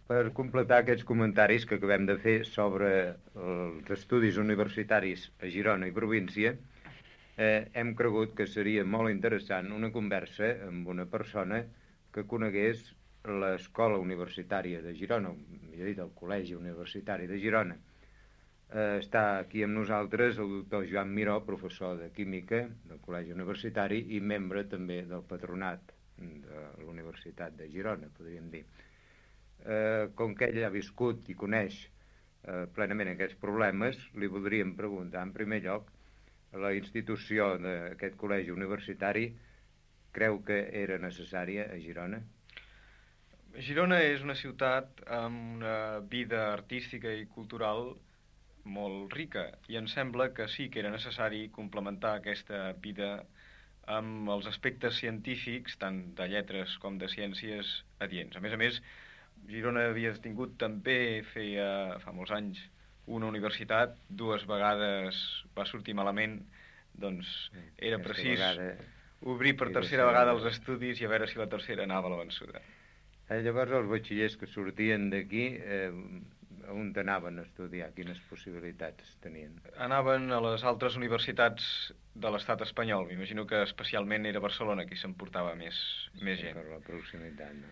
Per completar aquests comentaris que acabem de fer sobre els estudis universitaris a Girona i província, hem cregut que seria molt interessant una conversa amb una persona que conegués l'escola universitària de Girona, millor dit, el Col·legi Universitari de Girona. Està aquí amb nosaltres el doctor Joan Miró, professor de Química del Col·legi Universitari i membre també del patronat de l'Universitat de Girona, podríem dir. Com que ell ha viscut i coneix plenament aquests problemes, li voldríem preguntar, en primer lloc, la institució d'aquest col·legi universitari creu que era necessària a Girona? Girona és una ciutat amb una vida artística i cultural molt rica i em sembla que sí que era necessari complementar aquesta vida amb els aspectes científics, tant de lletres com de ciències adients. A més, Girona havia tingut també, fa molts anys, una universitat, 2 vegades va sortir malament, doncs era precís obrir per tercera vegada els estudis i a veure si la tercera anava a la vençuda. Llavors els batxillers que sortien d'aquí, on anaven a estudiar? Quines possibilitats tenien? Anaven a les altres universitats de l'estat espanyol. M'imagino que especialment era Barcelona qui s'emportava més gent. Per la proximitat, no?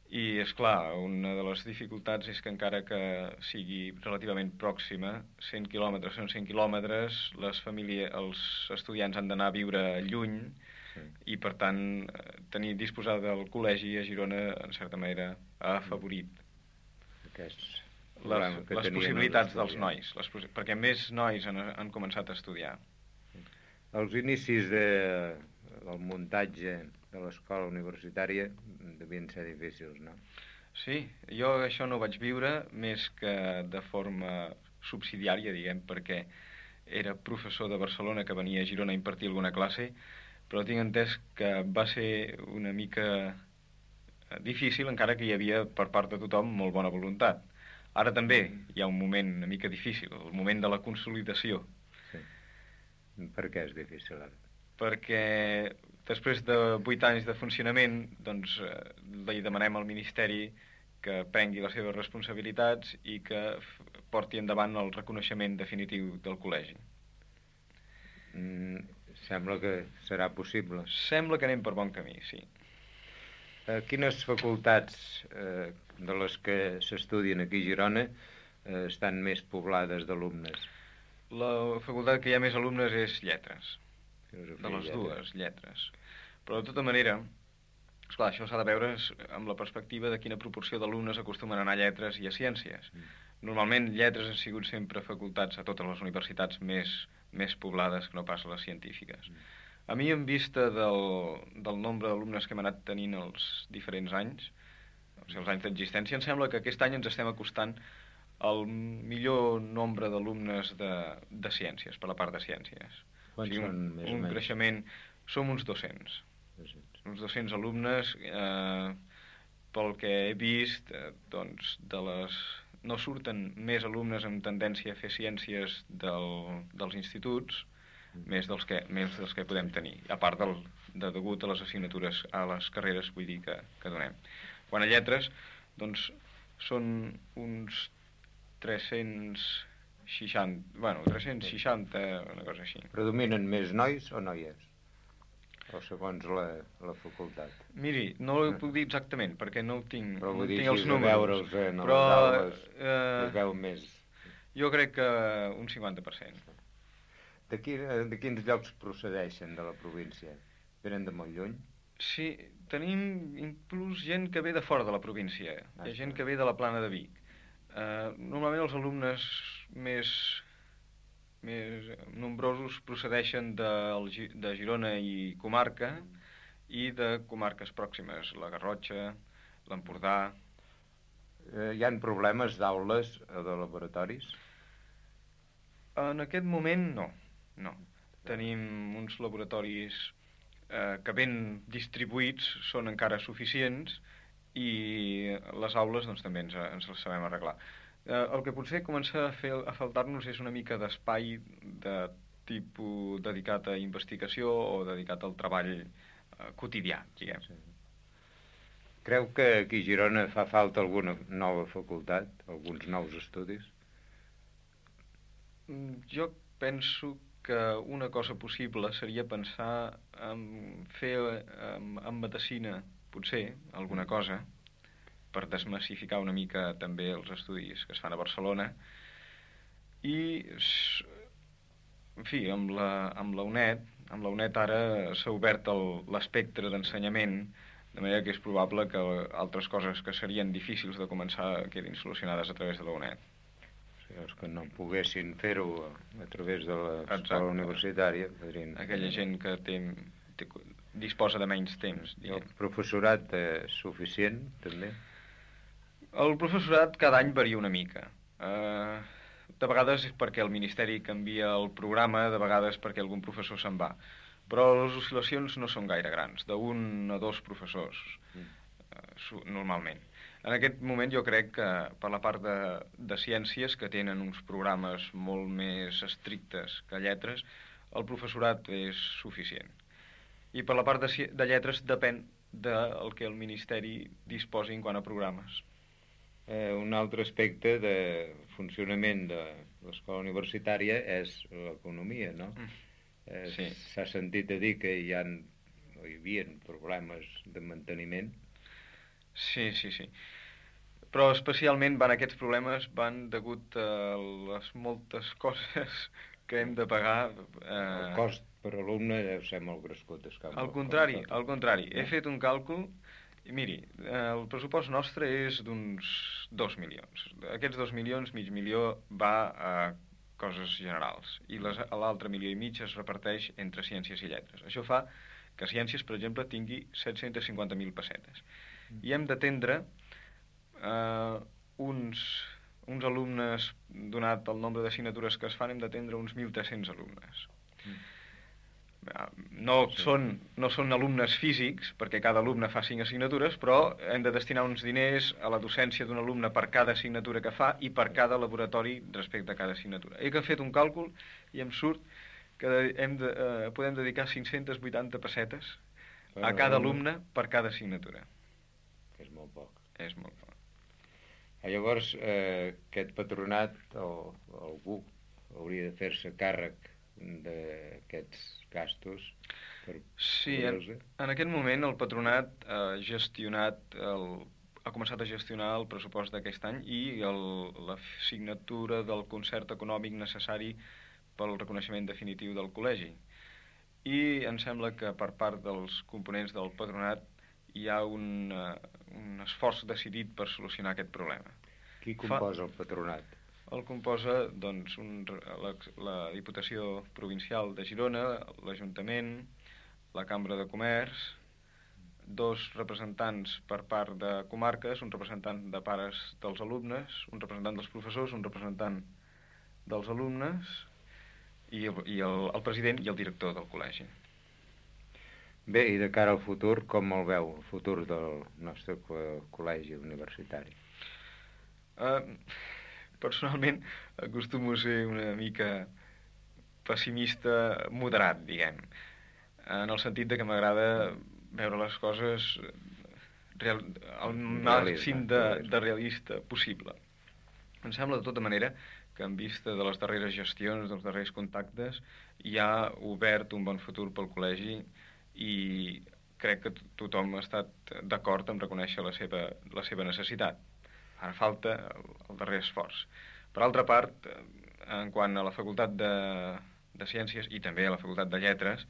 I, és clar, una de les dificultats és que encara que sigui relativament pròxima, 100 quilòmetres són 100 quilòmetres, els estudiants han d'anar a viure lluny, sí. I per tant disposar del col·legi a Girona en certa manera ha afavorit les possibilitats dels nois, perquè més nois han començat a estudiar. Els inicis del muntatge de l'escola universitària devien ser difícils, no? Sí, jo això no ho vaig viure més que de forma subsidiària, diguem, perquè era professor de Barcelona que venia a Girona a impartir alguna classe, però tinc entès que va ser una mica difícil, encara que hi havia per part de tothom molt bona voluntat. Ara també hi ha un moment una mica difícil, el moment de la consolidació. Sí. Per què és difícil ara? Perquè després de 8 anys de funcionament, doncs li demanem al Ministeri que prengui les seves responsabilitats i que porti endavant el reconeixement definitiu del col·legi. Sembla que serà possible. Sembla que anem per bon camí, sí. Quines facultats de les que s'estudien aquí a Girona estan més poblades d'alumnes? La facultat que hi ha més alumnes és lletres. De les dues, lletres. Però de tota manera, esclar, això s'ha de veure amb la perspectiva de quina proporció d'alumnes acostumen a anar a lletres i a ciències. Normalment lletres han sigut sempre facultats a totes les universitats més poblades que no pas a les científiques. A mi, en vista del nombre d'alumnes que hem anat tenint els diferents anys, o sigui, els anys d'existència, em sembla que aquest any ens estem acostant al millor nombre d'alumnes de ciències, per la part de ciències. Quants són més o menys? Un creixement, som uns 200. Uns 200 alumnes, pel que he vist, doncs no surten més alumnes amb tendència a fer ciències dels instituts, més dels que podem tenir, a part degut a les assignatures, a les carreres, vull dir, que donem. Quan a lletres, doncs, són uns 360, una cosa així. Predominen més nois o noies? O segons la facultat? Miri, no ho puc dir exactament, perquè no tinc els números. Però veure'ls en les aules, es veu més. Jo crec que un 50%. De quins llocs procedeixen de la província? Venen de molt lluny? Sí, tenim inclús gent que ve de fora de la província. Hi ha gent que ve de la Plana de Vic. Normalment els alumnes més nombrosos procedeixen de Girona i comarca i de comarques pròximes, la Garrotxa, l'Empordà. Hi ha problemes d'aules o de laboratoris? En aquest moment no. Tenim uns laboratoris que ben distribuïts, són encara suficients, i les aules doncs, també ens les sabem arreglar. El que potser comença a faltar-nos és una mica d'espai de tipus dedicat a investigació o dedicat al treball quotidià, diguem. Creu que aquí a Girona fa falta alguna nova facultat, alguns nous estudis? Jo penso que una cosa possible seria pensar en fer en medicina, potser, alguna cosa, per desmassificar una mica també els estudis que es fan a Barcelona, i en fi, amb la UNED ara s'ha obert l'espectre d'ensenyament, de manera que és probable que altres coses que serien difícils de començar quedin solucionades a través de la UNED. O sigui, els que no poguessin fer-ho a través de l'escola universitària podrien... Aquella gent que disposa de menys temps. I el professorat és suficient, també? El professorat cada any varia una mica. De vegades és perquè el Ministeri canvia el programa, de vegades perquè algun professor se'n va. Però les oscil·lacions no són gaire grans, d'un a dos professors, normalment. En aquest moment jo crec que per la part de ciències, que tenen uns programes molt més estrictes que lletres, el professorat és suficient. I per la part de lletres depèn del que el Ministeri disposi en quant a programes. Un altre aspecte de funcionament de l'escola universitària és l'economia, no? Sí. S'ha sentit a dir que hi havia problemes de manteniment. Sí. Però especialment aquests problemes van degut a les moltes coses que hem de pagar. El cost per alumne deu ser molt crescut. Al contrari. He fet un càlcul i miri, el pressupost nostre és d'uns 2 milions. Aquests 2 milions, mig milió, va a coses generals, i l'altre milió i mig es reparteix entre ciències i lletres. Això fa que ciències, per exemple, tingui 750.000 pessetes. I hem d'atendre uns alumnes, donat el nombre d'assignatures que es fan, hem d'atendre uns 1.300 alumnes. No són alumnes físics, perquè cada alumne fa 5 assignatures, però hem de destinar uns diners a la docència d'un alumne per cada assignatura que fa i per cada laboratori respecte a cada assignatura. He fet un càlcul i em surt que podem dedicar 580 pessetes a cada alumne per cada assignatura. És molt poc. És molt poc. Llavors, aquest patronat o algú hauria de fer-se càrrec d'aquests gastos. Sí, en aquest moment el patronat ha començat a gestionar el pressupost d'aquest any i la signatura del concert econòmic necessari pel reconeixement definitiu del col·legi. I em sembla que per part dels components del patronat hi ha un esforç decidit per solucionar aquest problema. Qui composa el patronat? El composa doncs, la Diputació Provincial de Girona, l'Ajuntament, la Cambra de Comerç, 2 representants per part de comarques, un representant de pares dels alumnes, un representant dels professors, un representant dels alumnes i el president i el director del col·legi. Bé, i de cara al futur, com el veu, el futur del nostre col·legi universitari? Personalment acostumo a ser una mica pessimista moderat, diguem, en el sentit de que m'agrada veure les coses al màxim de realista possible. Em sembla de tota manera que en vista de les darreres gestions, dels darrers contactes, hi ha obert un bon futur pel col·legi i crec que tothom ha estat d'acord en reconèixer la seva necessitat. Ara falta el darrer esforç. Per altra part, en quant a la Facultat de Ciències i també a la Facultat de Lletres,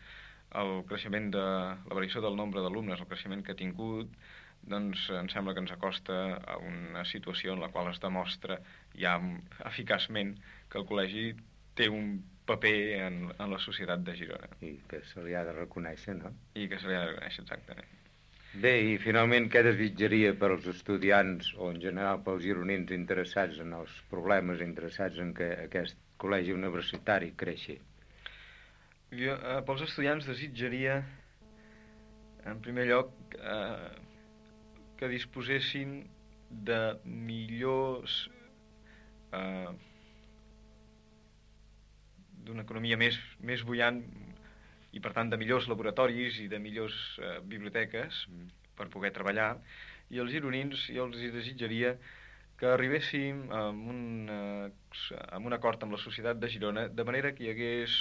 el creixement de la variació del nombre d'alumnes, el creixement que ha tingut, doncs em sembla que ens acosta a una situació en la qual es demostra ja eficaçment que el col·legi té un paper en la societat de Girona. I que se li ha de reconèixer, no? I que se li ha de reconèixer, exactament. Bé, i finalment què desitjaria per als estudiants o en general pels gironins interessats en els problemes, interessats en que aquest col·legi universitari creixi? Jo, pels estudiants desitjaria, en primer lloc, que disposessin de millors... d'una economia més bullant i per tant de millors laboratoris i de millors biblioteques per poder treballar I els gironins, jo els desitjaria que arribéssim amb un acord amb la societat de Girona, de manera que hi hagués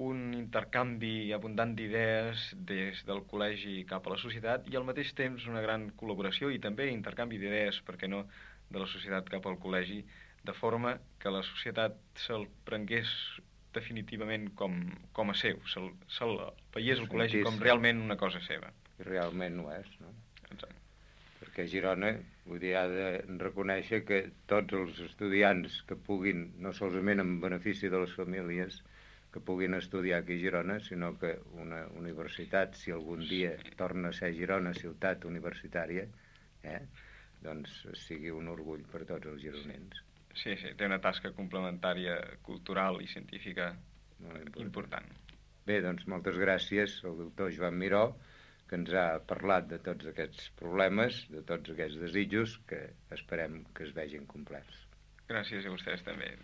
un intercanvi abundant d'idees des del col·legi cap a la societat i al mateix temps una gran col·laboració i també intercanvi d'idees, per què no, de la societat cap al col·legi, de forma que la societat se'l prengués definitivament com a seu, se'l veiés el col·legi com realment una cosa seva. I realment ho és, no? Exacte. Perquè Girona, vull dir, ha de reconèixer que tots els estudiants que puguin, no solament en benefici de les famílies, que puguin estudiar aquí a Girona, sinó que una universitat, si algun dia torna a ser Girona ciutat universitària, doncs sigui un orgull per tots els gironins. Sí, té una tasca complementària cultural i científica important. Bé, doncs moltes gràcies al doctor Joan Miró, que ens ha parlat de tots aquests problemes, de tots aquests desitjos, que esperem que es vegin complerts. Gràcies a vostès també.